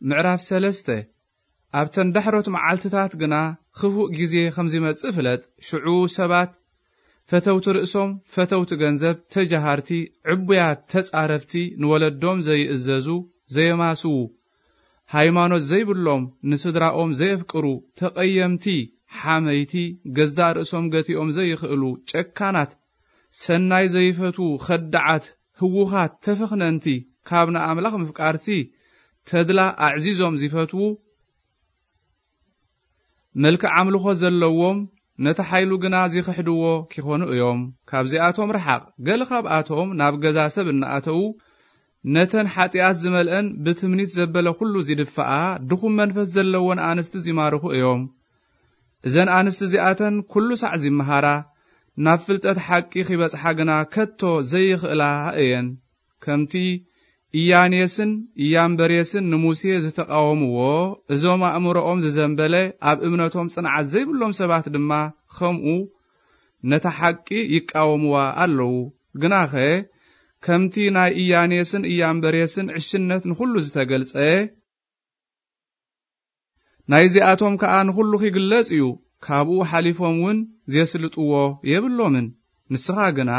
ምዕራፍ ሰለስተ። ኣብተን ዳሕሮት መዓልትታት ግና ክፉእ ግዜ ከም ዚመጽእ ፍለጥ። ሽዑ ሰባት ፈተውቲ ርእሶም፣ ፈተውቲ ገንዘብ፣ ተጃሃርቲ፣ ዕቡያት፣ ተጻረፍቲ፣ ንወለዶም ዘይእዘዙ፣ ዘየማስዉ፣ ሃይማኖት ዘይብሎም፣ ንስድራኦም ዘየፍቅሩ፣ ተቐየምቲ፣ ሓመይቲ፣ ገዛእ ርእሶም ገቲኦም ዘይኽእሉ፣ ጨካናት፣ ሰናይ ዘይፈትዉ፣ ኸዳዓት፣ ህዉኻት፣ ተፈኽነንቲ፣ ካብ ንኣምላኽ ምፍቃርሲ ተድላ ኣዕዚዞም ዚፈትዉ፣ መልክዕ ኣምልኾ ዘለዎም፣ ነቲ ሓይሉ ግና ዚኽሕድዎ ኪኾኑ እዮም። ካብዚኣቶም ርሓቕ። ገለ ካብኣቶም ናብ ገዛ ሰብ እናኣተዉ፣ ነተን ሓጢኣት ዝመልአን ብትምኒት ዘበለ ኹሉ ዚድፍኣ፣ ድኹም መንፈስ ዘለወን ኣንስቲ ዚማርኹ እዮም። እዘን ኣንስቲ እዚኣተን ኩሉ ሳዕ ዚመሃራ፣ ናብ ፍልጠት ሓቂ ኺበጽሓ ግና ከቶ ዘይኽእላ እየን። ከምቲ ኢያኔስን ኢያምበሬስን ንሙሴ ዝተቃወምዎ፣ እዞም ኣእምሮኦም ዝዘንበለ፣ ኣብ እምነቶም ጽንዓት ዘይብሎም ሰባት ድማ ከምኡ ነታ ሓቂ ይቃወምዋ ኣለዉ። ግናኸ፣ ከምቲ ናይ ኢያኔስን ኢያምበሬስን ዕሽነት ንኹሉ ዝተገልጸ፣ ናይዚኣቶም ከኣ ንኹሉ ኺግለጽ እዩ፣ ካብኡ ሓሊፎም እውን ዜስልጥዎ የብሎምን። ንስኻ ግና፣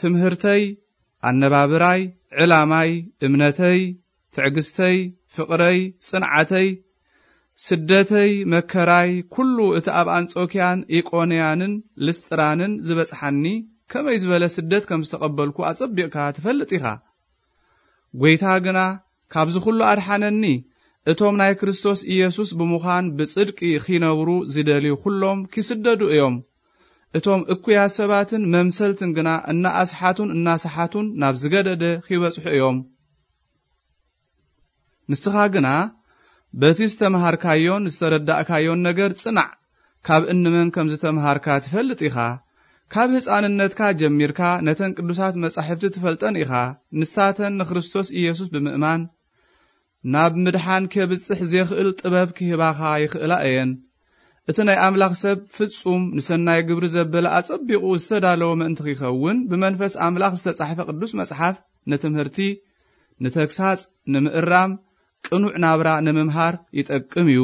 ትምህርተይ፣ ኣነባብራይ፣ ዕላማይ፣ እምነተይ፣ ትዕግስተይ፣ ፍቕረይ፣ ጽንዓተይ፣ ስደተይ፣ መከራይ፣ ኩሉ እቲ ኣብ ኣንጾክያን ኢቆንያንን ልስጥራንን ዝበጽሓኒ፣ ከመይ ዝበለ ስደት ከም ዝተቐበልኩ ኣጸቢቕካ ትፈልጥ ኢኻ። ጐይታ ግና ካብዚ ኹሉ ኣድሓነኒ። እቶም ናይ ክርስቶስ ኢየሱስ ብምዃን ብጽድቂ ኺነብሩ ዚደልዩ ኹሎም ኪስደዱ እዮም። እቶም እኩያት ሰባትን መምሰልትን ግና እናኣስሓቱን እናሰሓቱን ናብ ዝገደደ ኺበጽሑ እዮም። ንስኻ ግና በቲ ዝተምሃርካዮን ዝተረዳእካዮን ነገር ጽናዕ። ካብ እንመን ከም ዝተምሃርካ ትፈልጥ ኢኻ። ካብ ህፃንነትካ ጀሚርካ ነተን ቅዱሳት መጻሕፍቲ ትፈልጠን ኢኻ። ንሳተን ንክርስቶስ ኢየሱስ ብምእማን ናብ ምድሓን ኬብጽሕ ዜኽእል ጥበብ ኪህባኻ ይኽእላ እየን። እቲ ናይ ኣምላኽ ሰብ ፍጹም ንሰናይ ግብሪ ዘበለ ኣጸቢቑ ዝተዳለወ ምእንቲ ኺኸውን፣ ብመንፈስ ኣምላኽ ዝተጻሕፈ ቅዱስ መጽሓፍ ንትምህርቲ፣ ንተግሳጽ፣ ንምእራም፣ ቅኑዕ ናብራ ንምምሃር ይጠቅም እዩ።